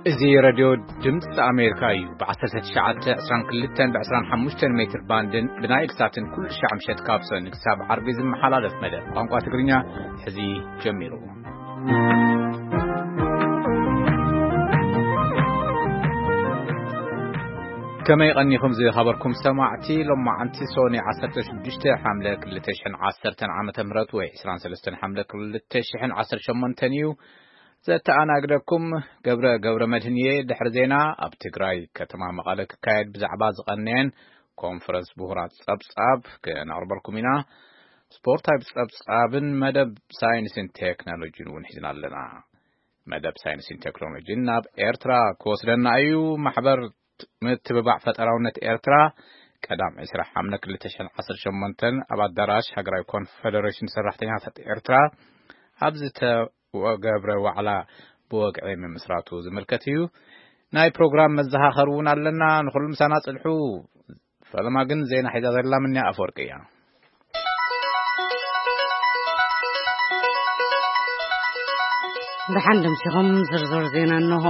እዚ ሬድዮ ድምፂ ኣሜሪካ እዩ። ብ1922 ብ25 ሜትር ባንድን ብናይል ሳትን ኩሉ ሻዕ ምሸት ካብ ሰኒ ክሳብ ዓርቢ ዝመሓላለፍ መደብ ቋንቋ ትግርኛ ሕዚ ጀሚሩ። ከመይ ቀኒኹም ዝኸበርኩም ሰማዕቲ? ሎማዓንቲ ሶኒ 16 ሓምለ 2010 ዓመተ ምህረት ወይ 23 ሓምለ 2018 እዩ። ዘተኣናግደኩም ገብረ ገብረ መድህን እየ። ድሕሪ ዜና ኣብ ትግራይ ከተማ መቐለ ክካየድ ብዛዕባ ዝቐነየን ኮንፈረንስ ምሁራት ጸብጻብ ክነቕርበልኩም ኢና። ስፖርታዊ ጸብጻብን መደብ ሳይንስን ቴክኖሎጂን እውን ሒዝና ኣለና። መደብ ሳይንስን ቴክኖሎጂን ናብ ኤርትራ ክወስደና እዩ። ማሕበር ምትብባዕ ፈጠራውነት ኤርትራ ቀዳም 20 ሓምለ 2018 ኣብ ኣዳራሽ ሃገራዊ ኮንፈደሬሽን ሰራሕተኛታት ኤርትራ ኣብ ዝተገብረ ዋዕላ ብወግዒ ምምስራቱ ዝምልከት እዩ። ናይ ፕሮግራም መዘኻኸሪ እውን ኣለና። ንኹሉ ምሳና ጽንሑ። ፈለማ ግን ዜና ሒዛ ዘላ ምንያ ኣፈወርቂ እያ። ደሓን ደምሲኹም ዝርዝር ዜና እንሆ።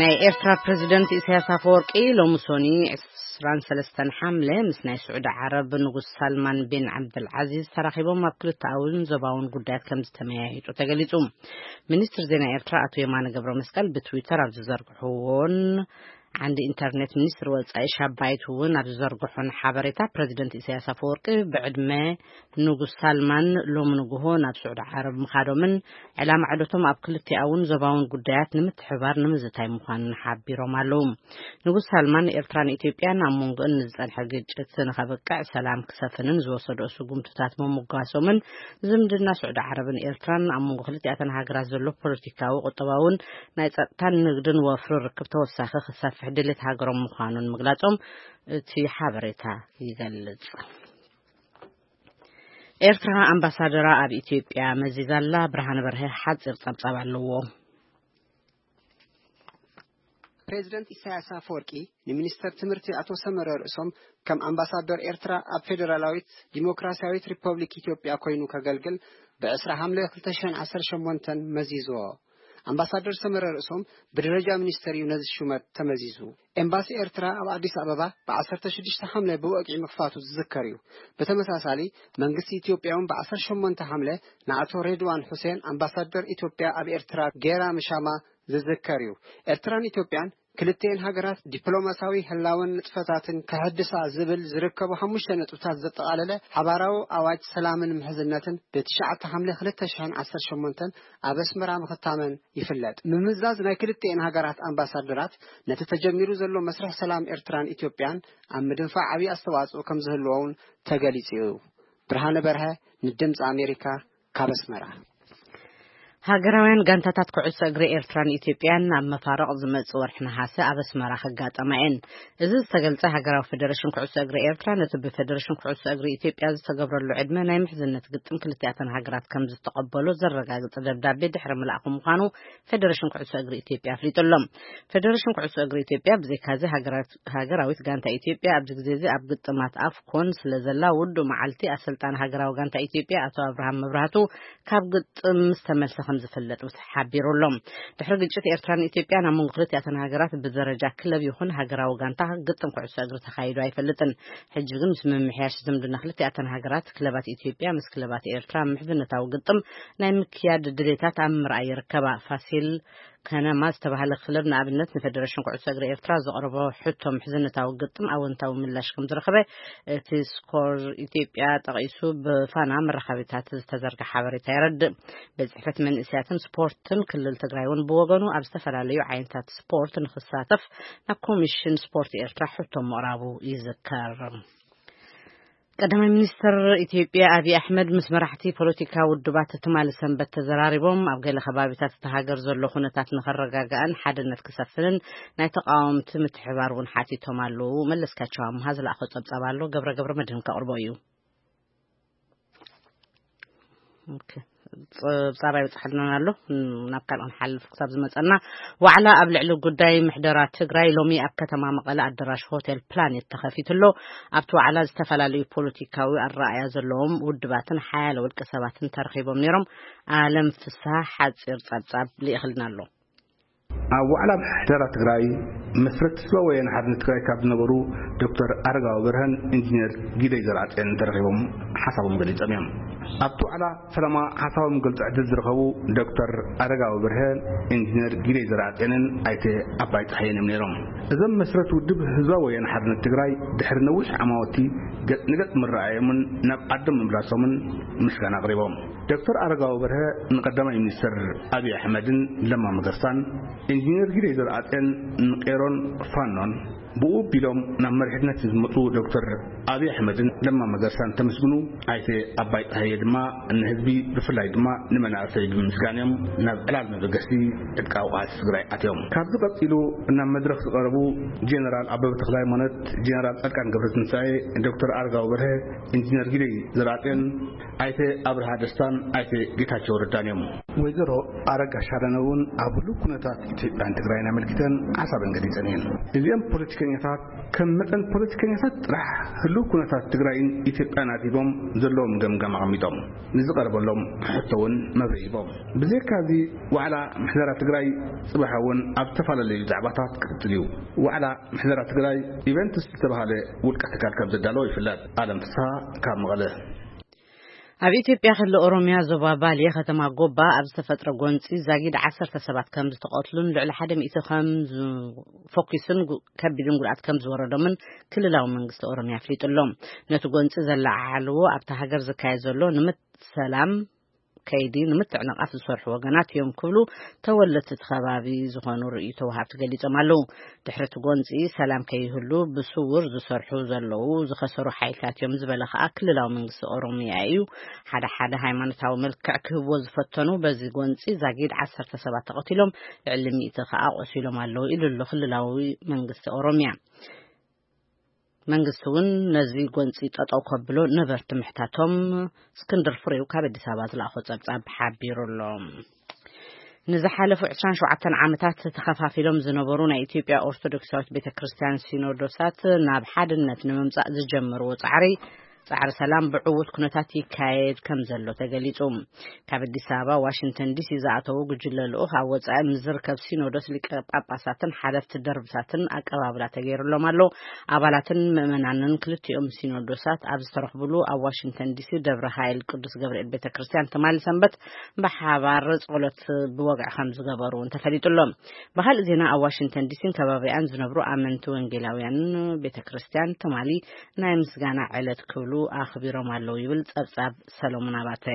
ናይ ኤርትራ ፕሬዚደንት ኢሳያስ ኣፈወርቂ ሎሚ ሶኒ 23 ሓምለ ምስ ናይ ስዑዲ ዓረብ ንጉስ ሳልማን ቢን ዓብደልዓዚዝ ተራኺቦም ኣብ ክልተኣውን ዞባውን ጉዳያት ከም ዝተመያየጡ ተገሊጹ። ሚኒስትር ዜና ኤርትራ ኣቶ የማነ ገብረ መስቀል ብትዊተር ኣብ ዝዘርግሕዎን ዓንዲ ኢንተርኔት ሚኒስትር ወጻኢ ሻባይት እውን ኣብ ዝዘርግሖን ሓበሬታ፣ ፕሬዚደንት ኢሳያስ ኣፈወርቂ ብዕድመ ንጉስ ሳልማን ሎሚ ንግሆ ናብ ስዑዲ ዓረብ ምኻዶምን ዕላማ ዕደቶም ኣብ ክልቲኣውን ዞባውን ጉዳያት ንምትሕባር ንምዝታይ ምዃኑን ሓቢሮም ኣለዉ። ንጉስ ሳልማን ኤርትራን ኢትዮጵያን ኣብ መንጎእን ንዝጸንሐ ግጭት ንኸብቅዕ ሰላም ክሰፍንን ዝወሰድኦ ስጉምትታት ምምጓሶምን ዝምድና ስዑዲ ዓረብን ኤርትራን ኣብ መንጎ ክልቲኣተን ሃገራት ዘሎ ፖለቲካዊ፣ ቁጠባውን ናይ ጸጥታን ንግድን ወፍሪ ርክብ ተወሳኺ ክሰፍሕ ድሌት ሃገሮም ምዃኑን ምግላጾም እቲ ሓበሬታ ይገልጽ። ኤርትራ ኣምባሳደራ ኣብ ኢትዮጵያ መዚዛላ። ብርሃነ በርሀ ሓጺር ጸብጻብ ኣለዎ። ፕሬዚደንት ኢሳያስ ኣፈወርቂ ንሚኒስተር ትምህርቲ ኣቶ ሰመረ ርእሶም ከም ኣምባሳደር ኤርትራ ኣብ ፌደራላዊት ዲሞክራሲያዊት ሪፐብሊክ ኢትዮጵያ ኮይኑ ከገልግል ብ20 ሓምለ 2018 መዚዝዎ። ኣምባሳደር ሰመረ ርእሶም ብደረጃ ሚኒስተር እዩ ነዚ ሹመት ተመዚዙ። ኤምባሲ ኤርትራ ኣብ ኣዲስ ኣበባ ብ16 ሓምለ ብወግዒ ምኽፋቱ ዝዝከር እዩ። ብተመሳሳሊ መንግስቲ ኢትዮጵያ እውን ብ18 ሓምለ ንኣቶ ሬድዋን ሁሴን ኣምባሳደር ኢትዮጵያ ኣብ ኤርትራ ጌራ ምሻማ ዝዝከር እዩ። ኤርትራን ኢትዮጵያን ክልቲኤን ሃገራት ዲፕሎማሲያዊ ህላወን ንጥፈታትን ከሕድሳ ዝብል ዝርከቡ ሓሙሽተ ነጥብታት ዘጠቓለለ ሓባራዊ ኣዋጅ ሰላምን ምሕዝነትን ብ9 ሓምለ 2018 ኣብ ኣስመራ ምኽታመን ይፍለጥ። ምምዛዝ ናይ ክልቲኤን ሃገራት ኣምባሳደራት ነቲ ተጀሚሩ ዘሎ መስርሕ ሰላም ኤርትራን ኢትዮጵያን ኣብ ምድንፋዕ ዓብዪ ኣስተዋጽኦ ከም ዝህልዎ እውን ተገሊጹ እዩ። ብርሃነ በርሀ ንድምፂ ኣሜሪካ ካብ ኣስመራ። ሃገራውያን ጋንታታት ኩዕሶ እግሪ ኤርትራን ኢትዮጵያን ኣብ መፋርቕ ዝመጽእ ወርሒ ነሓሰ ኣብ ኣስመራ ክጋጠማ እየን። እዚ ዝተገልጸ፣ ሃገራዊ ፌደሬሽን ኩዕሶ እግሪ ኤርትራ ነቲ ብፌደሬሽን ኩዕሶ እግሪ ኢትዮጵያ ዝተገብረሉ ዕድመ ናይ ምሕዝነት ግጥም ክልቲኣተን ሃገራት ከም ዝተቐበሎ ዘረጋግጽ ደብዳቤ ድሕሪ ምልኣኹ ምዃኑ ፌደሬሽን ኩዕሶ እግሪ ኢትዮጵያ ኣፍሊጡ ኣሎ። ፌደሬሽን ኩዕሶ እግሪ ኢትዮጵያ ብዘይካዚ ሃገራት-፣ ሃገራዊት ጋንታ ኢትዮጵያ ኣብዚ ግዜ እዚ ኣብ ግጥማት ኣፍኮን ስለ ዘላ፣ ውዱእ መዓልቲ ኣሰልጣኒ ሃገራዊ ጋንታ ኢትዮጵያ ኣቶ ኣብርሃም መብራህቱ ካብ ግጥም ምስ ተመልሰ ከም ዝፍለጥ ምስ ሓቢሩ ኣሎ። ድሕሪ ግጭት ኤርትራን ኢትዮጵያን ኣብ መንጎ ክልቲኣተን ሃገራት ብደረጃ ክለብ ይኹን ሃገራዊ ጋንታ ግጥም ኩዕሶ እግሪ ተኻይዱ ኣይፈልጥን። ሕጂ ግን ምስ ምምሕያሽ ዝምድና ክልቲኣተን ሃገራት፣ ክለባት ኢትዮጵያ ምስ ክለባት ኤርትራ ምሕዝነታዊ ግጥም ናይ ምክያድ ድሌታት ኣብ ምርኣይ ይርከባ። ፋሲል ከነማ ዝተባህለ ክለብ ንኣብነት ንፌደሬሽን ኩዕሶ እግሪ ኤርትራ ዘቕረቦ ሕቶ ምሕዝነታዊ ግጥም ኣወንታዊ ምላሽ ከም ዝረኸበ እቲ ስኮር ኢትዮጵያ ጠቒሱ ብፋና መራኸቢታት ዝተዘርግሐ ሓበሬታ የረድእ። ቤት ጽሕፈት መንእሰያትን ስፖርትን ክልል ትግራይ እውን ብወገኑ ኣብ ዝተፈላለዩ ዓይነታት ስፖርት ንክሳተፍ ናብ ኮሚሽን ስፖርት ኤርትራ ሕቶ ምቕራቡ ይዝከር። ቀዳማይ ሚኒስትር ኢትዮጵያ ኣብይ ኣሕመድ ምስ መራሕቲ ፖለቲካ ውድባት ትማሊ ሰንበት ተዘራሪቦም፣ ኣብ ገለ ከባቢታት እታ ሃገር ዘሎ ኩነታት ንኸረጋጋእን ሓድነት ክሰፍንን ናይ ተቃወምቲ ምትሕባር እውን ሓቲቶም ኣለዉ። መለስካቸው ኣምሃ ዝለኣኾ ጸብጻብ ኣሎ፣ ገብረ ገብረ መድህን ከቕርቦ እዩ። ኦኬ። ጸብጻብ ኣይበጽሓልናን ኣሎ። ናብ ካልእ ንሓልፍ ክሳብ ዝመጸና። ዋዕላ ኣብ ልዕሊ ጉዳይ ምሕደራ ትግራይ ሎሚ ኣብ ከተማ መቐለ ኣዳራሽ ሆቴል ፕላኔት ተኸፊቱ ኣሎ። ኣብቲ ዋዕላ ዝተፈላለዩ ፖለቲካዊ ኣረኣእያ ዘለዎም ውድባትን ሓያለ ውልቀ ሰባትን ተረኺቦም ነይሮም። ኣለም ፍስሃ ሓጺር ጸብጻብ ልኢኽልና ኣሎ። ኣብ ዋዕላ ምሕደራ ትግራይ መስረት ህዝባዊ ወያነ ሓርነት ትግራይ ካብ ዝነበሩ ዶክተር ኣረጋዊ በርሀን ኢንጂነር ጊደይ ዘርኣጽዮንን ተረኺቦም ሓሳቦም ገሊጾም እዮም። ኣብቲ ዋዕላ ፈለማ ሓሳቦም ገልጹ ዕድል ዝረኸቡ ዶክተር ኣረጋዊ በርሀ፣ ኢንጂነር ጊደይ ዘርኣጽዮንን ኣይተ ኣባይ ጸሃየን እዮም ነይሮም። እዞም መስረት ውድብ ህዝባዊ ወያነ ሓርነት ትግራይ ድሕሪ ነዊሕ ዓማወቲ ገጽ ንገጽ ምረኣዮምን ናብ ዓዶም ምምላሶምን ምስጋና ኣቕሪቦም። ዶክተር ኣረጋዊ በርሀ ንቀዳማይ ሚኒስትር ኣብይ ኣሕመድን ለማ መገርሳን፣ ኢንጂነር ጊደይ ዘርኣጽዮን ንቄሮን ፋኖን ብኡ ቢሎም ናብ መሪሕነት ዝመፁ ዶክተር ኣብይ ኣሕመድን ለማ መገርሳን ተመስግኑ። ኣይተ ኣባይ ጸሃየ ድማ ንህዝቢ ብፍላይ ድማ ንመናእሰይ ብምስጋን እዮም ናብ ዕላል መበገሲ ዕጥቃዊ ቃልሲ ትግራይ ኣትዮም። ካብዚ ቀፂሉ ናብ መድረኽ ዝቐረቡ ጀነራል ኣበበ ተኽለ ሃይማኖት፣ ጀነራል ጻድቃን ገብረትንሳኤ፣ ዶክተር ኣረጋዊ በርሀ፣ ኢንጂነር ጊደይ ዘርኣጽዮን፣ ኣይተ ኣብርሃ ደስታን ኣይተ ጌታቸው ረዳን እዮም። ወይዘሮ ኣረጋ ሻረነ እውን ኣብ ህሉው ኩነታት ኢትዮጵያን ትግራይን ኣመልኪተን ሓሳበን ገሊጸን እየን። እዚኦም ፖለቲከኛታት ከም መጠን ፖለቲከኛታት ጥራሕ ህሉው ኩነታት ትግራይን ኢትዮጵያን ኣድሂቦም ዘለዎም ገምጋም ኣቐሚጦም ንዝቐረበሎም ሕቶ እውን መብርሂ ሂቦም። ብዘይካዚ ዋዕላ ምሕደራ ትግራይ ጽባሕ እውን ኣብ ዝተፈላለዩ ዛዕባታት ክቕጽል እዩ። ዋዕላ ምሕደራ ትግራይ ኢቨንትስ ዝተባህለ ውልቀ ትካል ከም ዘዳለዎ ይፍለጥ። ኣለም ፍስሃ ካብ መቐለ። ኣብ ኢትዮጵያ ክልል ኦሮሚያ ዞባ ባሌ ከተማ ጎባ ኣብ ዝተፈጥረ ጎንጺ ዛጊድ ዓሰርተ ሰባት ከም ዝተቐትሉን ልዕሊ ሓደ ሚእቲ ከም ዝ-፣ ፎኪስን ጉ-፣ ከቢድን ጉድኣት ከም ዝወረዶምን ክልላዊ መንግስቲ ኦሮሚያ ኣፍሊጡ ኣሎ። ነቲ ጎንጺ ዘለዓዓልዎ ኣብታ ሃገር ዝካየድ ዘሎ ንምት-፣ ሰላም ከይዲ ንምትዕንቓፍ ዝሰርሑ ወገናት እዮም ክብሉ ተወለድቲ እቲ ከባቢ ዝኾኑ ርእይቶ ወሃብቲ ገሊጾም ኣለዉ። ድሕሪ እቲ ጎንጺ ሰላም ከይህሉ ብስውር ዝሰርሑ ዘለዉ ዝኸሰሩ ሓይልታት እዮም ዝበለ ከኣ ክልላዊ መንግስቲ ኦሮሚያ እዩ። ሓደ ሓደ ሃይማኖታዊ መልክዕ ክህብዎ ዝፈተኑ በዚ ጎንጺ ዛጊድ ዓሰርተ ሰባት ተቐቲሎም፣ ልዕሊ ሚእቲ ከኣ ቆሲሎም ኣለዉ ኢሉ ኣሎ ክልላዊ መንግስቲ ኦሮሚያ። መንግስቲ እውን ነዚ ጎንጺ ጠጠው ከብሎ ነበርቲ ምሕታቶም እስክንድር ፍሬው ካብ ኣዲስ ኣበባ ዝለኣኾ ጸብጻብ ሓቢሩ ኣሎ። ንዝሓለፉ ዕስራን ሸውዓተን ዓመታት ተኸፋፊሎም ዝነበሩ ናይ ኢትዮጵያ ኦርቶዶክሳዊት ቤተ ክርስቲያን ሲኖዶሳት ናብ ሓድነት ንምምጻእ ዝጀመርዎ ጻዕሪ፣ ጻዕሪ ሰላም ብዕዉት ኩነታት ይካየድ ከም ዘሎ ተገሊጹ። ካብ ኣዲስ ኣበባ ዋሽንግተን ዲሲ ዝኣተዉ ጉጅለ ልኡኽ ኣብ ወጻኢ ምስ ዝርከብ ሲኖዶስ ሊቀ ጳጳሳትን ሓለፍቲ ደርብታትን ኣቀባብላ ተገይሩሎም ኣሎ። ኣባላትን ምእመናንን ክልቲኦም ሲኖዶሳት ኣብ ዝተረኽብሉ ኣብ ዋሽንግተን ዲሲ ደብረ ሃይል ቅዱስ ገብርኤል ቤተ ክርስቲያን ትማሊ ሰንበት ብሓባር ጸሎት ብወግዒ ከም ዝገበሩ እውን ተፈሊጡ ኣሎ። ብኻልእ ዜና፣ ኣብ ዋሽንግተን ዲሲን ከባቢኣን ዝነብሩ ኣመንቲ ወንጌላውያን ቤተ ክርስቲያን ትማሊ ናይ ምስጋና ዕለት ክብሉ ኣኽቢሮም ኣለዉ ይብል ጸብጻብ ሰሎሞን ኣባተ።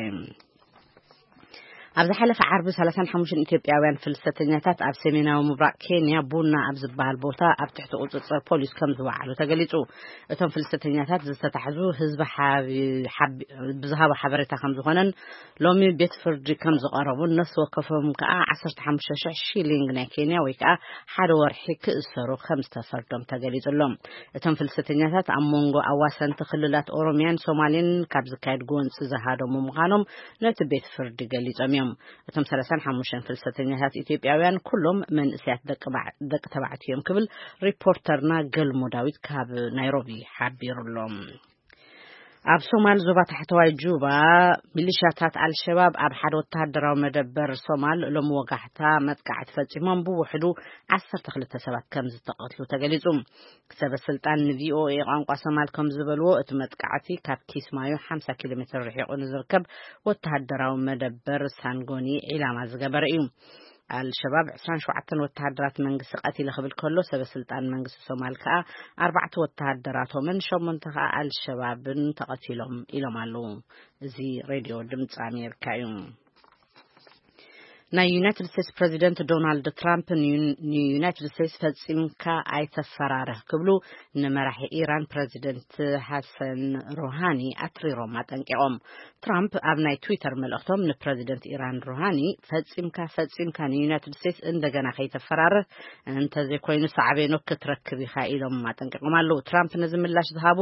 ኣብ ዝሓለፈ ዓርቢ ሰላሳን ሓሙሽተን ኢትዮጵያውያን ፍልሰተኛታት ኣብ ሰሜናዊ ምብራቕ ኬንያ ቡና ኣብ ዝበሃል ቦታ ኣብ ትሕቲ ቁጽጽር ፖሊስ ከም ዝወዓሉ ተገሊጹ። እቶም ፍልሰተኛታት ዝተታሕዙ ህዝቢ ሓቢ-፣ ሓቢ-፣ ብዝሃቦ ሓበሬታ ከም ዝኾነን ሎሚ ቤት ፍርዲ ከም ዝቐረቡን ነፍሲ ወከፎም ከኣ ዓሰርተ ሓሙሽተ ሽሕ ሺሊንግ ናይ ኬንያ ወይ ከኣ ሓደ ወርሒ ክእሰሩ ከም ዝተፈርዶም ተገሊጹ ኣሎ። እቶም ፍልሰተኛታት ኣብ መንጎ ኣዋሰንቲ ክልላት ኦሮሚያን ሶማሌን ካብ ዝካየድ ጎንጺ ዝሃደሙ ምዃኖም ነቲ ቤት ፍርዲ ገሊጾም እዮም። እቶም ሰላሳን ሓሙሽተን ፍልሰተኛታት ኢትዮጵያውያን ኩሎም መንእሰያት ደቂ ባዕ-፣ ደቂ ተባዕትዮ እዮም ክብል ሪፖርተርና ገልሞ ዳዊት ካብ ናይሮቢ ሓቢሩ ኣሎ። ኣብ ሶማል ዞባ ታሕተዋይ ጁባ ሚሊሻታት ኣልሸባብ ኣብ ሓደ ወተሃደራዊ መደበር ሶማል ሎሚ ወጋሕታ መጥቃዕቲ ፈጺሞም ብውሕዱ ዓሰርተ ክልተ ሰባት ከም ዝተቐትሉ ተገሊጹ። ሰበ ስልጣን ንቪኦኤ ቋንቋ ሶማል ከም ዝበልዎ፣ እቲ መጥቃዕቲ ካብ ኪስማዩ ሓምሳ ኪሎ ሜትር ርሒቑ ንዝርከብ ወተሃደራዊ መደበር ሳንጎኒ ዒላማ ዝገበረ እዩ። ኣልሸባብ ዕስራን ሸውዓተን ወተሃደራት መንግስቲ ቀቲለ ክብል ከሎ፣ ሰበ ስልጣን መንግስቲ ሶማል ከኣ ኣርባዕተ ወተሃደራቶምን ሸሞንተ ከኣ ኣልሸባብን ተቐቲሎም ኢሎም ኣለዉ። እዚ ሬድዮ ድምፂ ኣሜሪካ እዩ። ናይ ዩናይትድ ስቴትስ ፕሬዚደንት ዶናልድ ትራምፕ ንዩ-፣ ንዩናይትድ ስቴትስ ፈጺምካ ኣይተፈራርህ ክብሉ ንመራሒ ኢራን ፕሬዚደንት ሓሰን ሩሃኒ ኣትሪሮም ኣጠንቂቖም። ትራምፕ ኣብ ናይ ትዊተር መልእኽቶም ንፕሬዚደንት ኢራን ሩሃኒ፣ "ፈጺምካ፣ ፈጺምካ ንዩናይትድ ስቴትስ እንደገና ከይተፈራርህ፣ እንተዘይኮይኑ ሳዕቤኑ ክትረክብ ኢኻ" ኢሎም ኣጠንቂቖም ኣለዉ። ትራምፕ ነዚ ምላሽ ዝሃቡ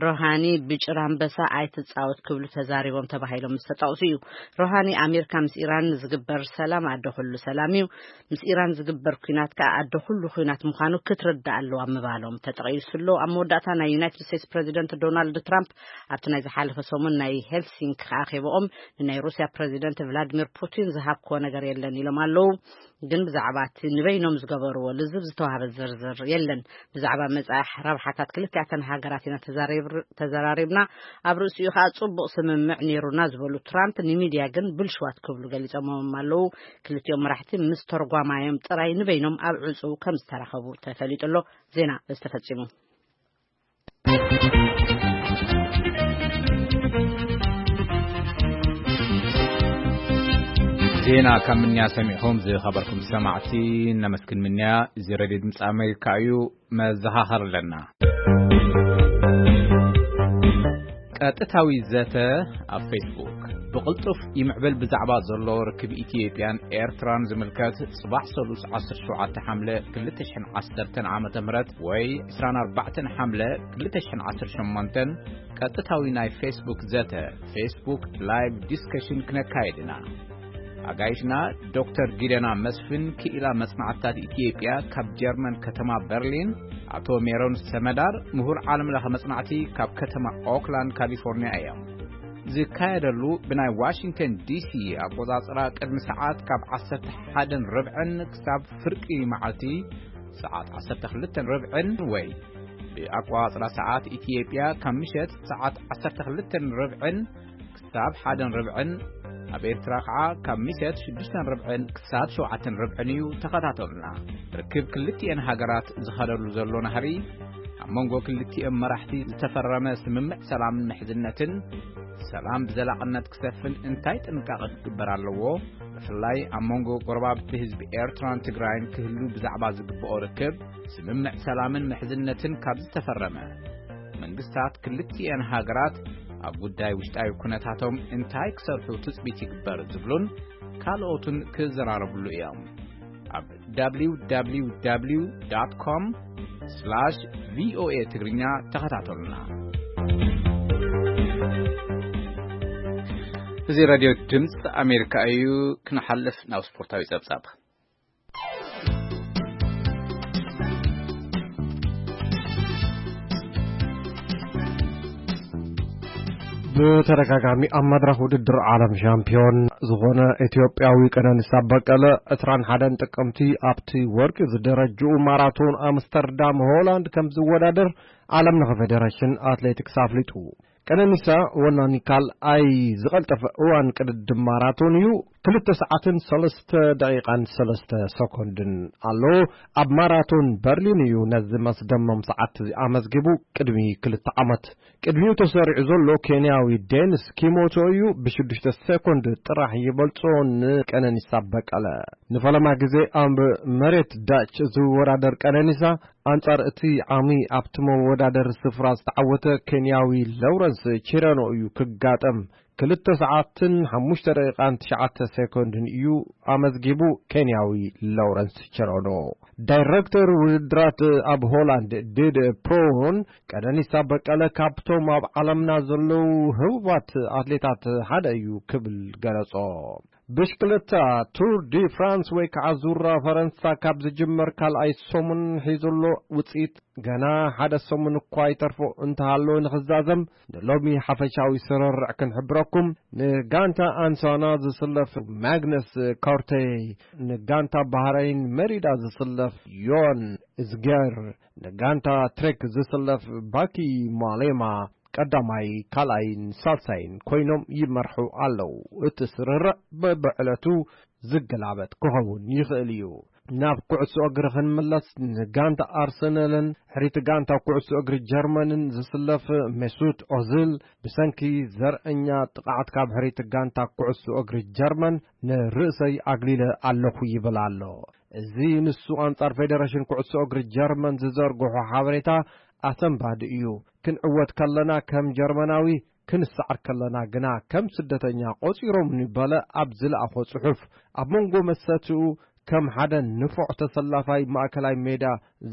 ሩሃኒ ብጭራ ኣንበሳ ኣይትጻወት ክብሉ ተዛሪቦም ተባሂሎም ምስ ተጠቕሱ እዩ። ሩሃኒ ኣሜሪካ ምስ ኢራን ዝግበር ሰላም ኣደ ኩሉ ሰላም እዩ፣ ምስ ኢራን ዝግበር ኲናት ከኣ ኣደ ኩሉ ኲናት ምዃኑ ክትርዳእ ኣለዋ ምባሎም ተጠቒሱ ኣሎ። ኣብ መወዳእታ ናይ ዩናይትድ ስቴትስ ፕሬዚደንት ዶናልድ ትራምፕ ኣብቲ ናይ ዝሓለፈ ሰሙን ናይ ሄልሲንኪ ኣኼባኦም ንናይ ሩስያ ፕሬዚደንት ቭላዲሚር ፑቲን ዝሃብክዎ ነገር የለን ኢሎም ኣለዉ። ግን ብዛዕባ እቲ ንበይኖም ዝገበርዎ ልዝብ ዝተዋህበ ዝርዝር የለን። ብዛዕባ መጻኢ ረብሓታት ክልቲኣተን ሃገራት ኢና ተዛሪብር-፣ ተዘራሪብና። ኣብ ርእሲኡ ከኣ ጽቡቕ ስምምዕ ነይሩና ዝበሉ ትራምፕ፣ ንሚድያ ግን ብልሽዋት ክብሉ ገሊጾሞም ኣለዉ። ክልቲኦም መራሕቲ ምስ ተርጓማዮም ጥራይ ንበይኖም ኣብ ዕጹው ከም ዝተራኸቡ ተፈሊጡ ኣሎ። ዜና ዝተፈጺሙ። ዜና ካብ ምንያ ሰሚዕኹም ዝኸበርኩም ሰማዕቲ ነመስግን። ምንያ እዚ ሬድዮ ድምፂ ኣሜሪካ እዩ። መዘኻኸር ኣለና። ቀጥታዊ ዘተ ኣብ ፌስቡክ ብቕልጡፍ ይምዕብል። ብዛዕባ ዘሎ ርክብ ኢትዮጵያን ኤርትራን ዝምልከት፣ ጽባሕ ሰሉስ ዓሰርተ ሸውዓተ ሓምለ ክልተ ሽሕን ዓሰርተን ዓመተ ምህረት ወይ ዕስራን ኣርባዕተን ሓምለ ክልተ ሽሕን ዓሰርተ ሸሞንተን ቀጥታዊ ናይ ፌስቡክ ዘተ፣ ፌስቡክ ላይቭ ዲስከሽን ክነካይድ ኢና። ኣጋይሽና ዶክተር ጊደና መስፍን፣ ክኢላ መጽናዕትታት ኢትዮጵያ ካብ ጀርመን ከተማ በርሊን፣ ኣቶ ሜሮን ሰመዳር፣ ምሁር ዓለም ለኸ መጽናዕቲ ካብ ከተማ ኦክላንድ ካሊፎርኒያ እዮም። ዝካየደሉ ብናይ ዋሽንግተን ዲሲ ኣቆጻጽራ ቅድሚ ሰዓት ካብ ዓሰርተ ሓደን ርብዕን ክሳብ ፍርቂ መዓልቲ ሰዓት ዓሰርተ ክልተን ርብዕን ወይ ብኣቆጻጽራ ሰዓት ኢትዮጵያ ካብ ምሸት ሰዓት ዓሰርተ ክልተን ርብዕን ክሳብ ሓደን ርብዕን፣ ኣብ ኤርትራ ከዓ ካብ ምሸት ሽዱሽተን ርብዕን ክሳብ ሸውዓተን ርብዕን እዩ። ተኸታተሉና። ርክብ ክልቲኤን ሃገራት ዝኸደሉ ዘሎ ናህሪ፣ ኣብ መንጎ ክልቲኦም መራሕቲ ዝተፈረመ ስምምዕ ሰላምን ምሕዝነትን፣ ሰላም ብዘላቕነት ክሰፍን እንታይ ጥንቃቐ ክግበር ኣለዎ? ብፍላይ ኣብ መንጎ ጎረባብቲ ህዝቢ ኤርትራን ትግራይን ክህሉ ብዛዕባ ዝግብኦ ርክብ፣ ስምምዕ ሰላምን ምሕዝነትን ካብ ዝተፈረመ፣ መንግስታት ክልቲኤን ሃገራት ኣብ ጉዳይ ውሽጣዊ ኩነታቶም እንታይ ክሰርሑ ትጽቢት ይግበር ዝብሉን ካልኦትን ክዘራረብሉ እዮም። ኣብ www.com/voa ትግርኛ ተኸታተሉና። እዚ ራድዮ ድምፂ ኣሜሪካ እዩ። ክንሓልፍ ናብ ስፖርታዊ ጸብጻብ። ብተደጋጋሚ ኣብ መድረኽ ውድድር ዓለም ሻምፒዮን ዝኾነ ኢትዮጵያዊ ቀነኒሳ በቀለ ዕስራን ሓደን ጥቅምቲ ኣብቲ ወርቂ ዝደረጅኡ ማራቶን ኣምስተርዳም ሆላንድ ከም ዝወዳደር ዓለም ለኸ ፌዴሬሽን ኣትሌቲክስ ኣፍሊጡ። ቀነኒሳ ወናኒ ካልኣይ ዝቐልጠፈ እዋን ቅድድም ማራቶን እዩ። ክልተ ሰዓትን ሰለስተ ደቂቓን ሰለስተ ሰኮንድን ኣሎ። ኣብ ማራቶን በርሊን እዩ ነዚ መስደመም ሰዓት ኣመዝጊቡ። ቅድሚ ክልተ ዓመት ቅድሚኡ ተሰሪዑ ዘሎ ኬንያዊ ዴንስ ኪሞቶ እዩ። ብሽዱሽተ ሰኮንድ ጥራሕ ይበልጾ ንቀነኒሳ በቀለ። ንፈለማ ግዜ ኣብ መሬት ዳች ዝወዳደር ቀነኒሳ፣ ኣንጻር እቲ ዓሚ ኣብቲ መወዳደሪ ስፍራ ዝተዓወተ ኬንያዊ ሎውረንስ ቺረኖ እዩ ክጋጠም። ክልተ ሰዓትን ሓሙሽተ ደቂቓን ትሽዓተ ሴኮንድን እዩ ኣመዝጊቡ ኬንያዊ ሎውረንስ ቺረኖ። ዳይረክተር ውድድራት ኣብ ሆላንድ ዲድ ፕሮን፣ ቀነኒሳ በቀለ ካብቶም ኣብ ዓለምና ዘለዉ ህቡባት ኣትሌታት ሓደ እዩ ክብል ገለጾ። ብሽክለታ ቱር ዲ ፍራንስ ወይ ከዓ ዙራ ፈረንሳ ካብ ዝጅመር ካልኣይ ሰሙን ሒዙ ኣሎ። ውፅኢት ገና ሓደ ሰሙን እኳ ይተርፎ እንተሃለወ ንኽዛዘም፣ ንሎሚ ሓፈሻዊ ስርርዕ ክንሕብረኩም። ንጋንታ ኣንሳና ዝስለፍ ማግነስ ኮርቴ፣ ንጋንታ ባህረይን መሪዳ ዝስለፍ ዮን እዝገር፣ ንጋንታ ትሬክ ዝስለፍ ባኪ ማሌማ ቀዳማይ፣ ካልኣይን ሳልሳይን ኮይኖም ይመርሑ ኣለዉ። እቲ ስርርዕ በብዕለቱ ዝገላበጥ ክኸውን ይኽእል እዩ። ናብ ኩዕሶ እግሪ ክንምለስ፣ ንጋንታ ኣርሰናልን ሕሪት ጋንታ ኩዕሶ እግሪ ጀርመንን ዝስለፍ ሜሱት ኦዝል ብሰንኪ ዘርእኛ ጥቕዓት ካብ ሕሪት ጋንታ ኩዕሶ እግሪ ጀርመን ንርእሰይ ኣግሊለ ኣለኹ ይብል ኣሎ። እዚ ንሱ ኣንጻር ፌደሬሽን ኩዕሶ እግሪ ጀርመን ዝዘርግሖ ሓበሬታ ኣሰንባዲ እዩ። ክንዕወት ከለና ከም ጀርመናዊ፣ ክንሰዓር ከለና ግና ከም ስደተኛ ቆጺሮምኒ በለ ኣብ ዝለኣኾ ጽሑፍ። ኣብ መንጎ መሰትኡ ከም ሓደ ንፉዕ ተሰላፋይ ማእከላይ ሜዳ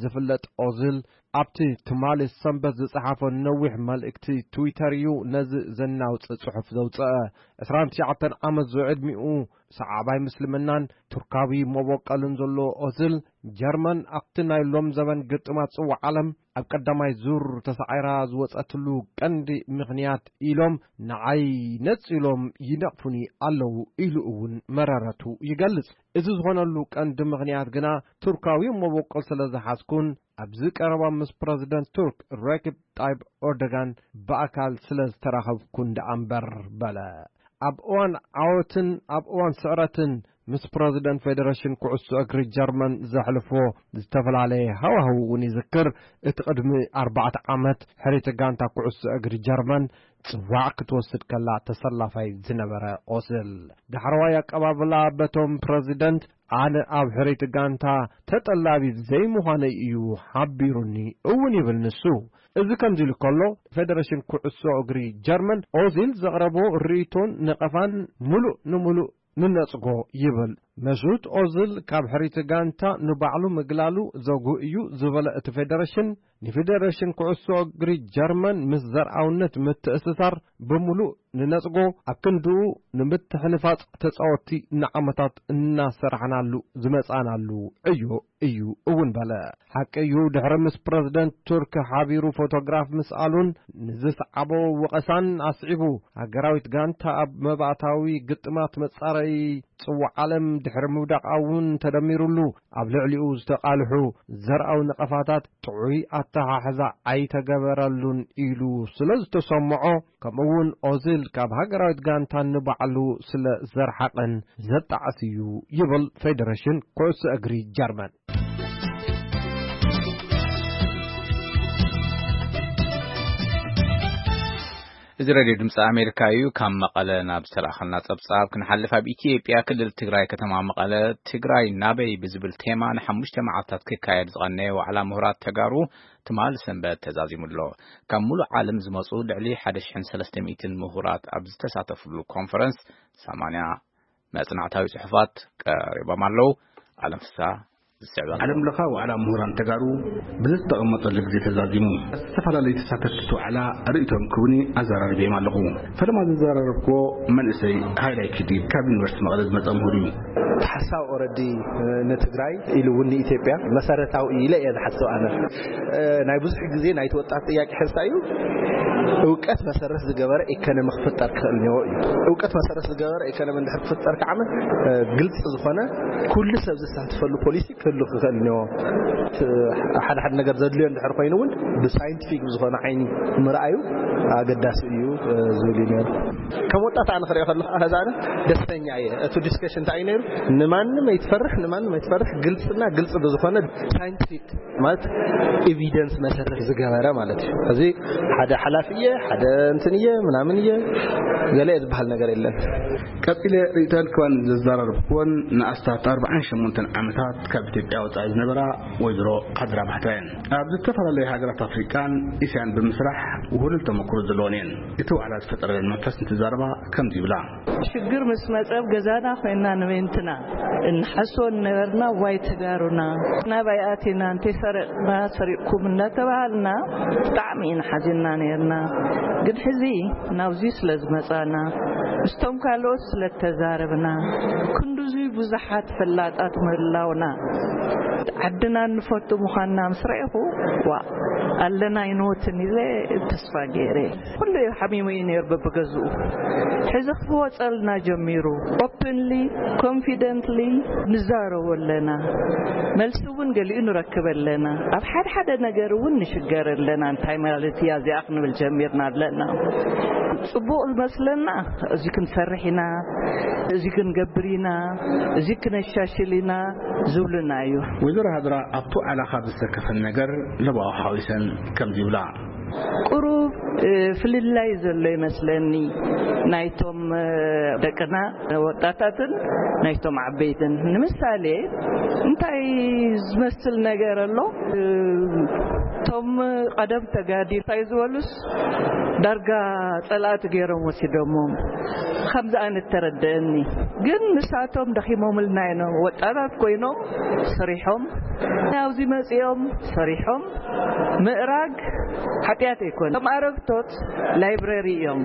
ዝፍለጥ ኦዝል፣ ኣብቲ ትማሊ ሰንበት ዝጸሓፎ ነዊሕ መልእክቲ ትዊተር እዩ ነዚ ዘናውጽእ ጽሑፍ ዘውጽአ። ዕስራን ትሽዓተን ዓመት ዝዕድሚኡ ሰዓባይ ምስልምናን ቱርካዊ መበቆልን ዘለዎ ኦዝል፣ ጀርመን ኣብቲ ናይ ሎም ዘበን ግጥማት ጽዋዕ ዓለም ኣብ ቀዳማይ ዙር ተሳዒራ ዝወጸትሉ ቀንዲ ምኽንያት ኢሎም ንዓይ ነጺሎም ይነቕፉኒ ኣለዉ ኢሉ እውን መረረቱ ይገልጽ። እዚ ዝኾነሉ ቀንዲ ምኽንያት ግና ቱርካዊ መበቆል ስለ ዝሓዝኩን ኣብዚ ቀረባ ምስ ፕረዚደንት ቱርክ ረኪብ ጣይብ ኦርዶጋን ብኣካል ስለ ዝተራኸብኩን ደኣ እምበር በለ። ኣብ እዋን ዓወትን ኣብ እዋን ስዕረትን ምስ ፕረዚደንት ፌደሬሽን ኩዕሶ እግሪ ጀርመን ዘሕልፎ ዝተፈላለየ ሃዋህው እውን ይዝክር። እቲ ቅድሚ ኣርባዕተ ዓመት ሕሪቲ ጋንታ ኩዕሶ እግሪ ጀርመን ጽዋዕ ክትወስድ ከላ ተሰላፋይ ዝነበረ ኦዝል ዳሕረዋይ ኣቀባብላ በቶም ፕረዚደንት ኣነ ኣብ ሕሪቲ ጋንታ ተጠላቢ ዘይምዃነይ እዩ ሓቢሩኒ እውን ይብል ንሱ። እዚ ከምዚ ኢሉ ከሎ ፌደሬሽን ኩዕሶ እግሪ ጀርመን ኦዚል ዘቕረቦ ርእይቶን ነቐፋን ምሉእ ንምሉእ ንነጽጎ ይብል። መሱት ኦዝል ካብ ሕሪቲ ጋንታ ንባዕሉ ምግላሉ ዘጉ እዩ ዝበለ እቲ ፌደሬሽን፣ ንፌደሬሽን ኩዕሶ እግሪ ጀርመን ምስ ዘርኣውነት ምትእስሳር ብምሉእ ንነጽጎ፣ ኣብ ክንድኡ ንምትሕንፋጽ ተጻወትቲ ንዓመታት እናሰራሕናሉ ዝመጻናሉ እዩ እዩ እውን በለ። ሓቂ እዩ፣ ድሕሪ ምስ ፕረዚደንት ቱርክ ሓቢሩ ፎቶግራፍ ምስኣሉን ንዝሰዓቦ ወቐሳን ኣስዒቡ፣ ሃገራዊት ጋንታ ኣብ መባእታዊ ግጥማት መጻረዪ ጽዋዕ ዓለም ድሕሪ ምውዳቓ እውን ተደሚሩሉ፣ ኣብ ልዕሊኡ ዝተቓልሑ ዘርኣዊ ነቐፋታት ጥዑይ ኣተሓሕዛ ኣይተገበረሉን ኢሉ ስለ ዝተሰምዖ፣ ከምኡውን ኦዚል ካብ ሃገራዊት ጋንታ ንባዕሉ ስለ ዘርሓቐን ዘጣዕስ እዩ ይብል ፌደሬሽን ኩዕሶ እግሪ ጀርመን። እዚ ሬድዮ ድምፂ ኣሜሪካ እዩ። ካብ መቐለ ናብ ዝተላእኸልና ፀብፃብ ክንሓልፍ፣ ኣብ ኢትዮጵያ ክልል ትግራይ ከተማ መቐለ ትግራይ ናበይ ብዝብል ቴማ ንሓሙሽተ መዓልታት ክካየድ ዝቐነየ ዋዕላ ምሁራት ተጋሩ ትማሊ ሰንበት ተዛዚሙ ኣሎ። ካብ ሙሉእ ዓለም ዝመፁ ልዕሊ ሓደ ሽሕን ሰለስተ ሚእትን ምሁራት ኣብ ዝተሳተፍሉ ኮንፈረንስ ሰማንያ መፅናዕታዊ ፅሑፋት ቀሪቦም ኣለዉ። ኣለም ፍስሃ ዝስዕብ ኣሎ። ዓለም ለኻ ዋዕላ ምሁራን ተጋሩ ብዝተቐመጠሉ ግዜ ተዛዚሙ። ዝተፈላለዩ ተሳተፍቲ እቲ ዋዕላ ርእይቶም ክህቡኒ ኣዘራሪበዮም ኣለኹ። ፈለማ ዘዘራረብክዎ መንእሰይ ሃይላይ ኪዲ ካብ ዩኒቨርሲቲ መቐለ ዝመፀ ምሁር እዩ። እቲ ሓሳብ ኦረዲ ንትግራይ ኢሉ እውን ንኢትዮጵያ መሰረታዊ ኢለ እየ ዝሓስብ ኣነ። ናይ ብዙሕ ግዜ ናይቲ ወጣት ጥያቄ ሕዝታ እዩ። እውቀት መሰረት ዝገበረ ኢኮኖሚ ክፍጠር ክኽእል እኒኦ እዩ። እውቀት መሰረት ዝገበረ ኢኮኖሚ እንድሕር ክፍጠር ከዓመ ግልፂ ዝኾነ ኩሉ ሰብ ዝሳተፈሉ ፖሊሲ ክህሉ ክኽእል እኒኦ። ሓደ ሓደ ነገር ዘድልዮ እንድሕር ኮይኑ እውን ብሳይንቲፊክ ብዝኾነ ዓይኒ ምርኣዩ ኣገዳሲ እዩ ዝብል እዩ ነይሩ። ከም ወጣት ኣነ ክሪኦ ከለኹ ኣነ ደስተኛ እየ። እቲ ዲስከሽን እንታይ እዩ ነይሩ? ንማንም ኣይትፈርሕ፣ ንማንም ኣይትፈርሕ፣ ግልፅና ግልፂ ብዝኾነ ሳይንቲፊክ ማለት ኤቪደንስ መሰረት ዝገበረ ማለት እዩ። እዚ ሓደ ሓላፊ እየ፣ ሓደ እንትን እየ፣ ምናምን እየ፣ ገለ ዝበሃል ነገር የለን። ቀፂለ ርእይቶን ክባን ዘዘራረብኩዎን ንኣስታት ኣርባዓን ሸሞንተን ዓመታት ካብ ኢትዮጵያ ወፃኢ ዝነበራ ወይዘሮ ዓዝራ ባሕታ እየን። ኣብ ዝተፈላለዩ ሃገራት ኣፍሪቃን እስያን ብምስራሕ ውህሉል ተመክሮ ዘለወን እየን። እቲ ዋዕላ ዝፈጠረለን መንፈስ እንትዛረባ ከምዚ ይብላ። ሽግር ምስ መጸ ኣብ ገዛና ኮይና ንቤንትና እንሓስቦ ነበርና። ዋይ ተጋሩና ናባይ ኣቲና እንተይ ሰረቕና ሰሪቕኩም እናተባሃልና ብጣዕሚ ኢና ሓዚንና ነርና። ግን ሕዚ ናብዚ ስለ ዝመጻና ምስቶም ካልኦት ስለ ተዛረብና ክንዱዚ ብዙሓት ፈላጣት ምህላውና ዓድና እንፈቱ ምዃንና ምስ ረእኹ ዋ ኣለና ይንወትን ኢለ ተስፋ ገይረ። ኩሉ ሓሚሙ እዩ ነይሩ በብገዝኡ። ሕዚ ክወፀልና ጀሚሩ። ኦፕንሊ ኮንፊደንትሊ ንዛረቦ ኣለና። መልሲ እውን ገሊኡ ንረክብ ኣለና። ኣብ ሓደ ሓደ ነገር እውን ንሽገር ኣለና። እንታይ ማለት እያ እዚኣ ክንብል ጀሚርና ኣለና። ፅቡቕ ዝመስለና እዚ ክንሰርሕ ኢና፣ እዚ ክንገብር ኢና፣ እዚ ክነሻሽል ኢና ዝብሉና እዩ። ወይዘሮ ሃድራ ኣብቲ ዋዕላ ካብ ዝሰከፈን ነገር ለባዊ ሓዊሰን ከምዚ ይብላ። ቁሩብ ፍልላይ ዘሎ ይመስለኒ ናይቶም ደቅና ወጣታትን ናይቶም ዓበይትን። ንምሳሌ እንታይ ዝመስል ነገር ኣሎ? እቶም ቀደም ተጋዲ እንታይ ዝበሉስ ዳርጋ ጸላእቲ ገይሮም ወሲዶሞም ከምዚ ኣይነት ተረደአኒ። ግን ንሳቶም ደኺሞምልና እዮም። ወጣታት ኮይኖም ሰሪሖም ኣብዚ መጺኦም ሰሪሖም ምእራግ ሓጢኣት ኣይኮነ። ከም ኣረግቶት ላይብረሪ እዮም።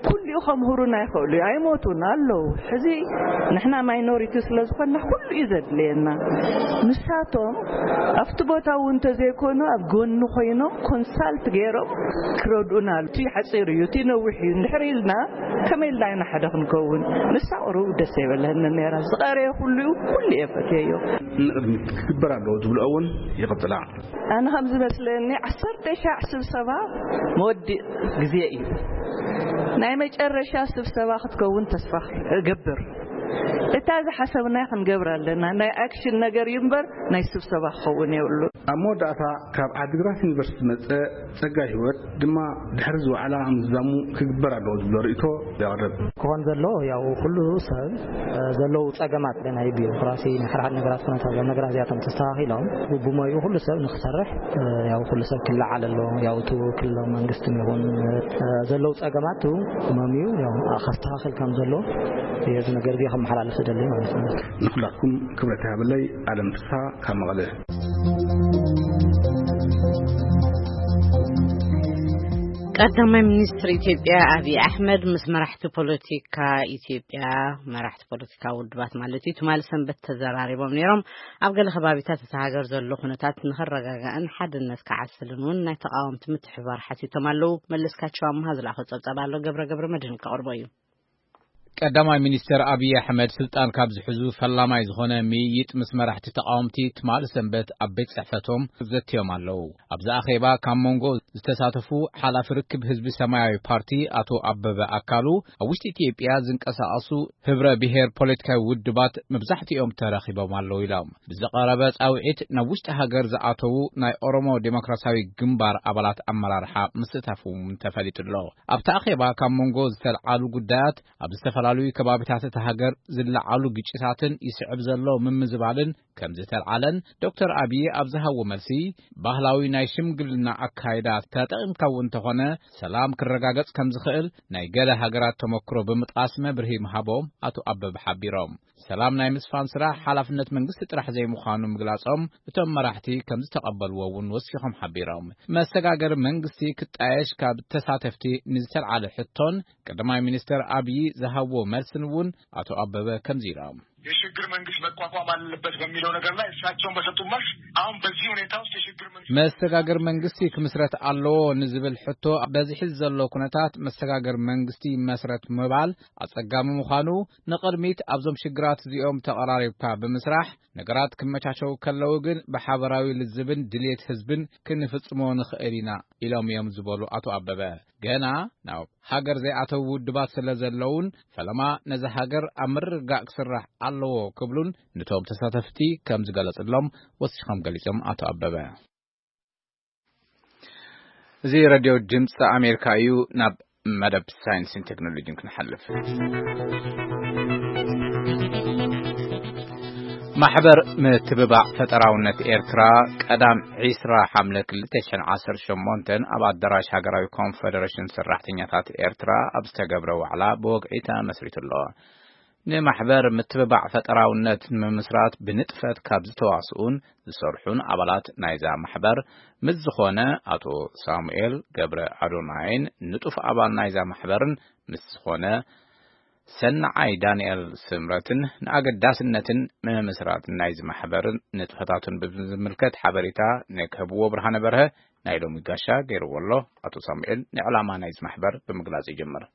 ኩሊኡ ከምህሩና ይኽእሉ እዮም። ኣይሞቱን ኣለዉ። ሕዚ ንሕና ማይኖሪቲ ስለ ዝኾንና ኩሉ እዩ ዘድልየና። ንሳቶም ኣብቲ ቦታ እውን እንተዘይኮኑ ኣብ ጎኒ ኮይኖም ኮንሳልት ገይሮም ክረድኡና ኣሉ። እቲ ሓፂር እዩ፣ እቲ ነዊሕ እዩ። እንድሕር ኢልና ከመይ ኢልና ኢና ሓደ ክንከውን? ንሳ ቁሩብ ደስ ኣይበለንን ነይራ። ዝቐረየ ኩሉ እዩ፣ ኩሉ እየ ፈትየዮ። ንቕድሚት ክግበር ኣለዎ ዝብልኦ እውን ይቕጽላ። ኣነ ከም ዝመስለኒ ዓሰርተ ሻዕ ስብሰባ መወዲእ ግዜ እዩ። ናይ መጨረሻ ስብሰባ ክትከውን ተስፋ እገብር። እታ ዝሓሰብናያ ክንገብር ኣለና። ናይ ኣክሽን ነገር እዩ እምበር ናይ ስብሰባ ክኸውን የብሉ። ኣብ መወዳእታ ካብ ዓዲግራት ዩኒቨርሲቲ ዝመጸ ጸጋ ህይወት ድማ ድሕሪ እዚ ዋዕላ ምዝዛሙ ክግበር ኣለዎ ዝብሎ ርእይቶ የቕርብ። ክኾን ዘሎ ያው ኩሉ ሰብ፣ እ፣ ዘለዉ ጸገማት ናይ ቢሮክራሲ ናይ ሓደ ሓደ ነገራት ኩነታት እዞም ነገራት እዚኣቶም ተስተኻኺሎም ብሞይኡ ኩሉ ሰብ ንክሰርሕ፣ እ፣ ያው ኩሉ ሰብ ክለዓል ኣሎ። ያው እቲ ክልላዊ መንግስትን ይኹን፣ እ፣ ዘለዉ ጸገማት መምዩ ያው ከስተኻኽል ከም ዘሎ እዚ ነገር እዚ ከመሓላልፍ ዝደሊ ማለት ነው። ንኩላትኩም ክብረት ይሃበለይ። ኣለም ፍስሓ ካብ መቐለ። ቀዳማይ ሚኒስትር ኢትዮጵያ ኣብይ ኣሕመድ ምስ መራሕቲ ፖለቲካ ኢትዮጵያ፣ መራሕቲ ፖለቲካ ውድባት ማለት እዩ፣ ትማሊ ሰንበት ተዘራሪቦም ነይሮም። ኣብ ገለ ከባቢታት እታ ሃገር ዘሎ ኩነታት ንኽረጋጋእን ሓድነት ክዓስልን እውን ናይ ተቃወምቲ ምትሕብባር ሓቲቶም ኣለዉ። መለስካቸው ኣምሃ ዝለኣኾ ጸብጻብ ኣሎ፣ ገብረ ገብረ መድህን ከቕርቦ እዩ። ቀዳማይ ሚኒስተር ኣብይ ኣሕመድ ስልጣን ካብ ዝሕዙ ፈላማይ ዝኾነ ምይይጥ ምስ መራሕቲ ተቃወምቲ ትማሊ ሰንበት ኣብ ቤት ጽሕፈቶም ዘትዮም ኣለዉ። ኣብዚ ኣኼባ ካብ መንጎ ዝተሳተፉ ሓላፊ ርክብ ህዝቢ ሰማያዊ ፓርቲ ኣቶ ኣበበ ኣካሉ፣ ኣብ ውሽጢ ኢትዮጵያ ዝንቀሳቐሱ ህብረ ብሔር ፖለቲካዊ ውድባት መብዛሕትኦም ተረኺቦም ኣለዉ ኢሎም። ብዝቐረበ ጻውዒት ናብ ውሽጢ ሃገር ዝኣተዉ ናይ ኦሮሞ ዴሞክራሲያዊ ግንባር ኣባላት ኣመራርሓ ምስታፎም ተፈሊጡ ኣሎ። ኣብቲ ኣኼባ ካብ መንጎ ዝተልዓሉ ጉዳያት ኣብ ዝተፈላለዩ ከባቢታት እታ ሃገር ዝለዓሉ ግጭታትን ይስዕብ ዘሎ ምምዝባልን ከም ዝተልዓለን ዶክተር ኣብዪ ኣብ ዝሃቦ መልሲ፣ ባህላዊ ናይ ሽምግልና ኣካይዳ ተጠቒምካ እውን እንተኾነ ሰላም ክረጋገጽ ከም ዝኽእል ናይ ገለ ሃገራት ተመክሮ ብምጥቃስ መብርሂ ምሃቦም ኣቶ ኣበበ ሓቢሮም። ሰላም ናይ ምስፋን ስራሕ ሓላፍነት መንግስቲ ጥራሕ ዘይምዃኑ ምግላጾም እቶም መራሕቲ ከም ዝተቐበልዎ እውን ወሲኾም ሓቢሮም። መሰጋገሪ መንግስቲ ክጣየሽ ካብ ተሳተፍቲ ንዝተልዓለ ሕቶን ቀዳማይ ሚኒስተር ኣብዪ ዝሃብዎ መልስን እውን ኣቶ ኣበበ ከምዚ ኢሎም። የሽግግር መንግስት መቋቋም አለበት በሚለው ነገር ላይ እሳቸውን በሰጡት መልስ አሁን በዚህ ሁኔታ ውስጥ የሽግግር መንግስት መሰጋገሪ መንግስቲ ክምስረት ኣለዎ ንዝብል ሕቶ በዚ ሕዚ ዘሎ ኩነታት መሰጋገሪ መንግስቲ ይመስረት ምባል ኣጸጋሚ ምዃኑ ንቕድሚት ኣብዞም ሽግራት እዚኦም ተቐራሪብካ ብምስራሕ ነገራት ክመቻቸው ከለዉ ግን ብሓበራዊ ልዝብን ድልየት ህዝብን ክንፍጽሞ ንኽእል ኢና ኢሎም እዮም ዝበሉ ኣቶ ኣበበ፣ ገና ናብ ሃገር ዘይኣተዉ ውድባት ስለ ዘለዉን ፈለማ ነዛ ሃገር ኣብ ምርግጋእ ክስራሕ ኣለዎ ክብሉን ነቶም ተሳተፍቲ ከም ዝገለጽሎም ወሲኾም ገሊጾም ኣቶ ኣበበ። እዚ ሬድዮ ድምፂ ኣሜሪካ እዩ። ናብ መደብ ሳይንስን ቴክኖሎጂን ክንሓልፍ። ማሕበር ምትብባዕ ፈጠራውነት ኤርትራ ቀዳም ዒስራ ሓምለ ክልተ ሽሕን ዓሰርተ ሸሞንተን ኣብ ኣዳራሽ ሃገራዊ ኮንፈደሬሽን ሰራሕተኛታት ኤርትራ ኣብ ዝተገብረ ዋዕላ ብወግዒ ተመስሪቱ ኣሎ። ንማሕበር ምትብባዕ ፈጠራውነት ንምምስራት ብንጥፈት ካብ ዝተዋስኡን ዝሰርሑን ኣባላት ናይዛ ማሕበር ምስ ዝኾነ ኣቶ ሳሙኤል ገብረ ኣዶናይን ንጡፍ ኣባል ናይዛ ማሕበርን ምስ ዝኾነ ሰናዓይ ዳንኤል ስምረትን ንኣገዳስነትን ምምስራት ናይዚ ማሕበርን ንጥፈታቱን ብዝምልከት ሓበሬታ ንክህብዎ ብርሃነ በርሀ ናይ ሎሚ ጋሻ ገይርዎ ኣሎ። ኣቶ ሳሙኤል ንዕላማ ናይዚ ማሕበር ብምግላጽ ይጅምር።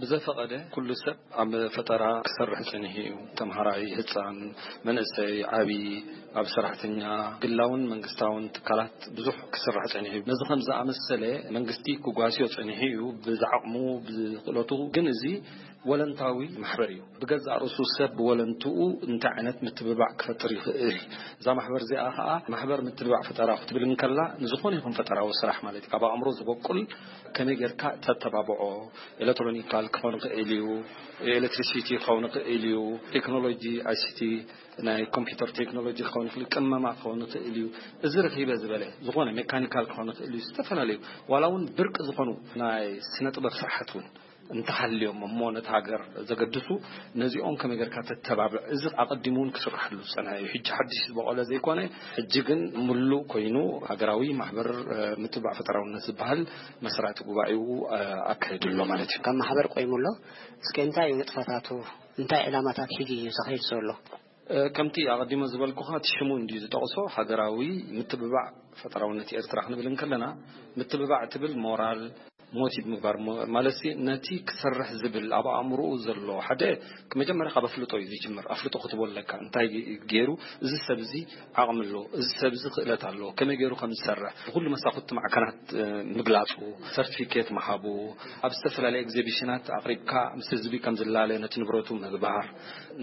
ብዘፈቐደ ኩሉ ሰብ ኣብ ፈጠራ ክሰርሕ ጸኒሑ እዩ። ተምሃራይ፣ ህጻን፣ መንእሰይ፣ ዓቢ፣ ኣብ ሰራሕተኛ፣ ግላውን መንግስታውን ትካላት ብዙሕ ክስራሕ ጸኒሑ እዩ። ነዚ ከም ዝኣመሰለ መንግስቲ ክጓስዮ ጸኒሑ እዩ፣ ብዝዓቕሙ፣ ብክእለቱ። ግን እዚ ወለንታዊ ማሕበር እዩ። ብገዛእ ርእሱ ሰብ ብወለንትኡ እንታይ ዓይነት ምትብባዕ ክፈጥር ይኽእል? እዛ ማሕበር እዚኣ ኸኣ ማሕበር ምትብባዕ ፈጠራ ክትብል እንከላ፣ ንዝኾነ ይኹን ፈጠራዊ ስራሕ ማለት እዩ። ካብ ኣእምሮ ዝበቁል ከመይ ጌርካ ተተባብዖ፣ ኤሌክትሮኒካል ክኸውን ክእል እዩ፣ ኤሌክትሪሲቲ ክኸውን ክእል እዩ፣ ቴክኖሎጂ ኣይሲቲ፣ ናይ ኮምፒውተር ቴክኖሎጂ ክኸውን ክእል፣ ቅመማ ክኸውን ክእል እዩ፣ እዚ ርኺበ ዝበለ ዝኾነ ሜካኒካል ክኸውን ክእል እዩ፣ ዝተፈላለዩ ዋላ እውን ብርቂ ዝኾኑ ናይ ስነ ጥበብ ስራሓት እውን እንተሃልዮም እሞ ነቲ ሃገር ዘገድሱ፣ ነዚኦም ከመይ ጌርካ ተተባብዕ? እዚ ኣቐዲሙ እውን ክስራሕሉ ዝጸንሐ እዩ። ሕጂ ሓድሽ ዝበቖለ ዘይኮነ፣ ሕጂ ግን ምሉእ ኮይኑ ሃገራዊ ማሕበር፣ እ፣ ምትብባዕ ፈጠራውነት ዝበሃል መስራቲ ጉባኤኡ፣ እ፣ ኣካይዱ ኣሎ ማለት እዩ። ካብ ማሕበር ቆይሙ ኣሎ። እስከ እንታይ እዩ ንጥፈታቱ? እንታይ ዕላማታት ሒዙ እዩ ዝኸይድ ዘሎ? እ፣ ከምቲ ኣቐዲመ ዝበልኩኻ፣ እቲ ሽሙ እንድዩ ዝጠቕሶ፣ ሃገራዊ ምትብባዕ ፈጠራውነት ኤርትራ ክንብል እንከለና፣ ምትብባዕ ትብል ሞራል፣ ሞቲቭ ምግባር ሞ-፣ ማለት ሲ፣ ነቲ ክሰርሕ ዝብል ኣብ ኣእምሮኡ ዘሎ ሓደ፣ መጀመርያ ካብ ኣፍልጦ እዩ ዝጅምር። ኣፍልጦ ክትቦ ኣለካ። እንታይ ገይሩ፣ እዚ ሰብ እዚ ዓቕሚ ኣሎ፣ እዚ ሰብ እዚ ክእለት ኣሎ፣ ከመይ ገይሩ ከም ዝሰርሕ ብኩሉ መሳኹቲ ማዕከናት፣ እ፣ ምግላጹ፣ ሰርቲፊኬት ምሃቡ፣ ኣብ ዝተፈላለየ ኤግዚቢሽናት ኣቕሪብካ ምስ ህዝቢ ከም ዝላለ ነቲ ንብረቱ ምግባር፣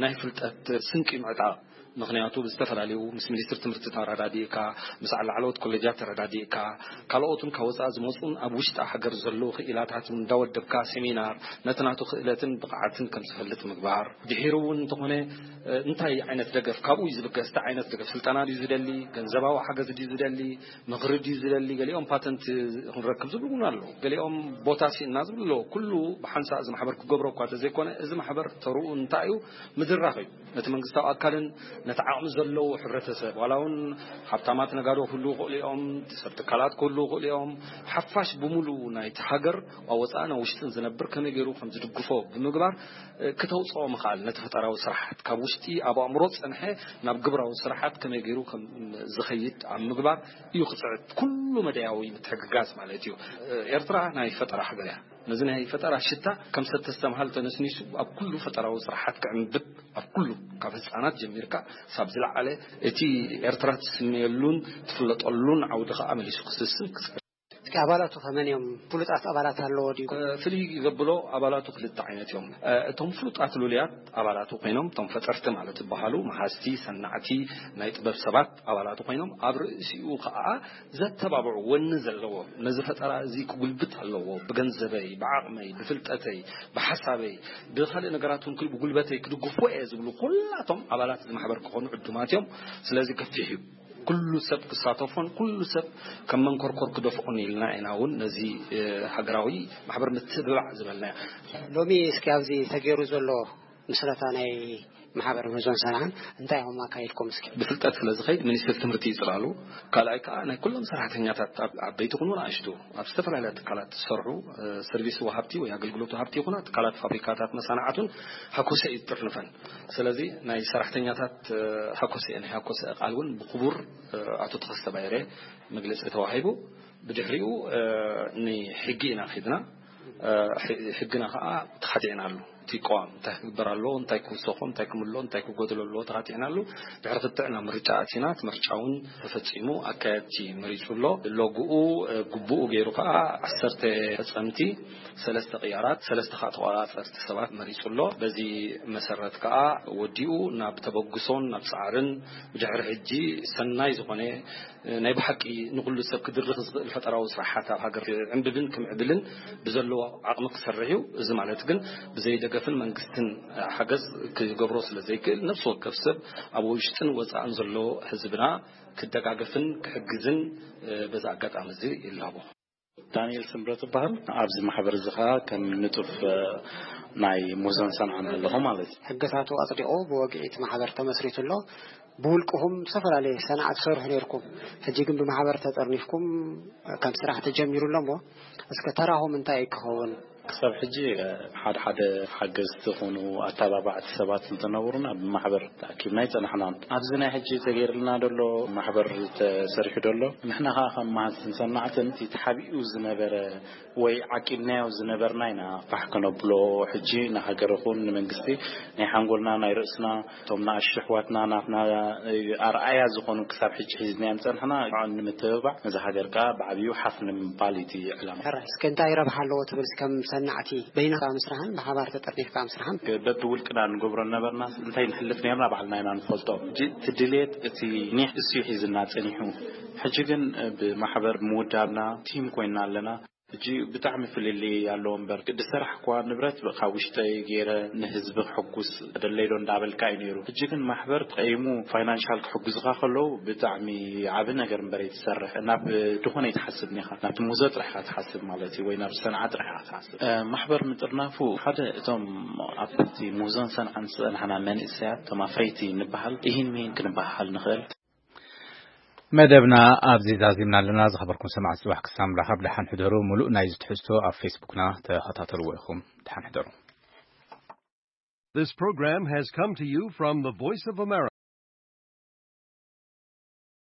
ናይ ፍልጠት ስንቂ ምዕጣቕ። ምኽንያቱ ብዝተፈላለዩ ምስ ሚኒስትሪ ትምህርቲ ተረዳዲእካ፣ ምስ ላዕለዎት ኮሌጃት ተረዳዲእካ፣ ካልኦትን ካብ ወፃኢ ዝመፁን ኣብ ውሽጢ ሃገር ዘለዉ ክኢላታት እንዳወደብካ ሴሚናር ነቲ ናቱ ክእለትን ብቕዓትን ከም ዝፈልጥ ምግባር። ድሒሩ እውን እንተኾነ፣ እ፣ እንታይ ዓይነት ደገፍ ካብኡ እዩ ዝብገስ? እንታይ ዓይነት ደገፍ? ስልጠና ድዩ ዝደሊ? ገንዘባዊ ሓገዝ ድዩ ዝደሊ? ምኽሪ ድዩ ዝደሊ? ገሊኦም ፓተንት ክንረክብ ዝብሉ እውን ኣለዉ። ገሊኦም ቦታ ሲእና ዝብሉ ኣለዉ። ኩሉ ብሓንሳእ እዚ ማሕበር ክገብሮ እኳ ተዘይኮነ፣ እዚ ማሕበር ተርኡ እንታይ እዩ? ምድራኽ እዩ። ነቲ መንግስታዊ ኣካልን ነቲ ዓቕሚ ዘለዎ ሕብረተሰብ፣ ዋላ እውን ሃብታማት ነጋዶ ክህልዉ ይኽእሉ እዮም፣ ሰብ ትካላት ክህልዉ ይኽእሉ እዮም። ሓፋሽ ብምሉኡ ናይቲ ሃገር ኣብ ወፃእን ኣብ ውሽጥን ዝነብር ከመይ ገይሩ ከም ዝድግፎ ብምግባር፣ እ፣ ክተውፅኦ ምኽኣል፣ ነቲ ፈጠራዊ ስራሓት ካብ ውሽጢ ኣብ ኣእምሮ ዝፀንሐ ናብ ግብራዊ ስራሓት ከመይ ገይሩ ከም ዝኸይድ ኣብ ምግባር እዩ ክፅዕት፣ ኩሉ መዳያዊ ምትሕግጋዝ ማለት እዩ። እ፣ ኤርትራ ናይ ፈጠራ ሃገር እያ። ነዚ ናይ ፈጠራ ሽታ ከም ሰተስተምሃል ተነስኒሱ ኣብ ኩሉ ፈጠራዊ ስራሓት ክዕንብብ፣ ኣብ ኩሉ ካብ ህፃናት ጀሚርካ ሳብ ዝለዓለ እቲ ኤርትራ ትስመየሉን ትፍለጠሉን ዓውዲ ከዓ መሊሱ ክስስን ክፅዕር። እስኪ ኣባላቱ ከመን እዮም? ፍሉጣት ኣባላት ኣለዎ ድዩ? እ፣ ፍልይ ዘብሎ ኣባላቱ ክልተ ዓይነት እዮም። እ፣ እቶም ፍሉጣት ልሉያት ኣባላቱ ኮይኖም፣ እቶም ፈጠርቲ ማለት ዝበሃሉ መሃዝቲ፣ ሰናዕቲ፣ ናይ ጥበብ ሰባት ኣባላቱ ኮይኖም፣ ኣብ ርእሲኡ ከዓ ዘተባብዑ፣ ወኒ ዘለዎ፣ ነዚ ፈጠራ እዚ ክጉልብት ኣለዎ፣ ብገንዘበይ፣ ብዓቕመይ፣ ብፍልጠተይ፣ ብሓሳበይ፣ ብኻልእ ነገራት እውን ክል-፣ ብጉልበተይ ክድግፎ እየ ዝብሉ ኩላቶም ኣባላት እዚ ማሕበር ክኾኑ ዕዱማት እዮም። ስለዚ ገፊሕ እዩ። ኩሉ ሰብ ክሳተፎን ኩሉ ሰብ ከም መንኮርኮር ክደፍኦን ኢልና ኢና እውን ነዚ፣ እ፣ ሃገራዊ ማሕበር ምትብባዕ ዝበልናዮ። ሎሚ እስኪ ኣብዚ ተገይሩ ዘሎ ምስረታ ናይ ማሕበር መዞን ሰንዓን እንታይ ኢኹም ኣካይድኩም? እስኪ። ብፍልጠት ስለ ዝኸይድ ሚኒስትሪ ትምህርቲ ይፅላሉ። ካልኣይ ከዓ ናይ ኩሎም ሰራሕተኛታት፣ ኣብ ዓበይቲ ይኹኑ ንኣሽቱ፣ ኣብ ዝተፈላለያ ትካላት ዝሰርሑ፣ እ፣ ሰርቪስ ወሃብቲ ወይ ኣገልግሎት ወሃብቲ ይኹና፣ ትካላት፣ ፋብሪካታት፣ መሳንዓቱን ሃኮሰ እዩ ዝጥርንፈን። ስለዚ ናይ ሰራሕተኛታት፣ እ፣ ሃኮሰ፣ ናይ ሃኮሰ ቃል እውን ብክቡር፣ እ፣ ኣቶ ተኸስተ ባይረ መግለፂ ተዋሂቡ። ብድሕሪኡ፣ እ፣ ንሕጊ ኢና ኺድና። እ፣ ሕ-፣ ሕግና ኸዓ ተኻቲዕናሉ። እቲ ቅዋም እንታይ ክግበር ኣለዎ፣ እንታይ ክውሰኾ፣ እንታይ ክምሎ፣ እንታይ ክጎድሎ ኣለዎ ተኻቲዕናሉ። ድሕሪ ክትዕ ናብ ምርጫ ኣቲና፣ እቲ ምርጫ እውን ተፈጺሙ፣ ኣካየድቲ መሪጹ ኣሎ። ሎግኡ፣ እ፣ ግቡኡ ገይሩ ኸዓ ዓሰርተ ፈጸምቲ፣ ሰለስተ ቅያራት፣ ሰለስተ ኸዓ ተቖጻጸርቲ ሰባት መሪጹ ኣሎ። በዚ መሰረት ከኣ ወዲኡ ናብ ተበግሶን ናብ ጻዕርን ብድሕሪ ሕጂ ሰናይ ዝኾነ ናይ ብሓቂ ንኹሉ ሰብ ክድርኽ ዝኽእል ፈጠራዊ ስራሓት ኣብ ሃገር ክዕንብብን ክምዕብልን ብዘለዎ ዓቕሚ ክሰርሕ እዩ። እዚ ማለት ግን ብዘይ ደገፍን መንግስትን ሓገዝ ክገብሮ ስለ ዘይክእል፣ ነፍሲ ወከፍ ሰብ ኣብ ውሽጥን ወጻእን ዘሎ ህዝብና ክደጋገፍን ክሕግዝን፣ እ፣ በዚ ኣጋጣሚ እዚ ይላቦ። ዳንኤል ስምረት እበሃል። ኣብዚ ማሕበር እዚ ኸኣ ከም ንጡፍ፣ እ፣ ናይ ሙዞን ሰንዓን ኣለኹ ማለት እዩ። ሕግታቱ ኣጽዲቑ ብወግዒ እቲ ማሕበር ተመስሪቱ ኣሎ። ብውልቅኹም ዝተፈላለየ ሰንዓ ትሰርሑ ነይርኩም። ሕጂ ግን ብማሕበር ተጠርኒፍኩም ከም ስራሕ ተጀሚሩ ኣሎ እሞ፣ እስከ ተራኹም እንታይ ክኸውን? ክሳብ ሕጂ፣ እ፣ ሓደ ሓደ ሓገዝቲ ኾኑ ኣተባባዕቲ ሰባት እንተነበሩና ብማሕበር ተኣኪብና ኣይጸናሕናን። ኣብዚ ናይ ሕጂ ተገይርልና ደሎ ማሕበር ተሰሪሑ ደሎ፣ ንሕና ኸኣ ከም መሃዝትን ሰናዕትን እቲ ተሓቢኡ ዝነበረ ወይ ዓቂብናዮ ዝነበርና ኢና ፋሕ ከነብሎ። ሕጂ ንሃገር ይኹን ንመንግስቲ ናይ ሓንጎልና ናይ ርእስና፣ እቶም ንኣሽቱ ኣሕዋትና ናትና ኣርኣያ ዝኾኑ ክሳብ ሕጂ ሒዝናዮም ጸንሕና ንምትብባዕ፣ ነዛ ሃገር ከኣ ብዓብዩ ሓፍ ንምባል እዩ እቲ ዕላማ። ሕራይ፣ እስከ እንታይ ረብሓ ኣለዎ ትብል? ከም ሰናዕቲ በይንኻ ምስራሕን ብሓባር ተጠርኒፍካ ምስራሕን? በብውልቅና ንገብሮ ነበርና፣ እንታይ ንሕልፍ ነርና ባዕልና ኢና ንፈልጦ። ሕጂ እቲ ድሌት እቲ ኒሕ እሱ ሒዝና ጸኒሑ። ሕጂ ግን ብማሕበር ምውዳብና ቲም ኮይንና ኣለና። ሕጂ ብጣዕሚ ፍልልይ ኣለዎ እምበር፣ ቅዲ ስራሕ እኳ ንብረት ካብ ውሽጠይ ገይረ ንህዝቢ ክሕጉስ ደለይዶ እንዳበልካ እዩ ነይሩ። ሕጂ ግን ማሕበር ተቐይሙ ፋይናንሻል ክሕጉዝኻ ከለዉ ብጣዕሚ ዓቢ ነገር እምበር ኣይትሰርሕ። ናብ ድኾነ ኣይትሓስብን ኢኻ። ናብቲ ሙዞ ጥራሕ ኢኻ ትሓስብ ማለት እዩ፣ ወይ ናብ ሰንዓ ጥራሕ ኢኻ ትሓስብ። እ፣ ማሕበር ምጥርናፉ ሓደ እቶም ኣብቲ ሙዞን ሰንዓን ዝጸናሕና መንእሰያት፣ እቶም ኣፍረይቲ ንበሃል፣ ኢሂን ሚሂን ክንበሃል ንኽእል። መደብና ኣብዚ ዛዚምና ኣለና። ዝኸበርኩም ሰማዕቲ፣ ጽባሕ ክሳብ ንራኸብ ደሓን ሕደሩ። ሙሉእ ናይዚ ትሕዝቶ ኣብ ፌስቡክና ተኸታተልዎ ኢኹም። ደሓን ሕደሩ። This program has come to you from the Voice of America.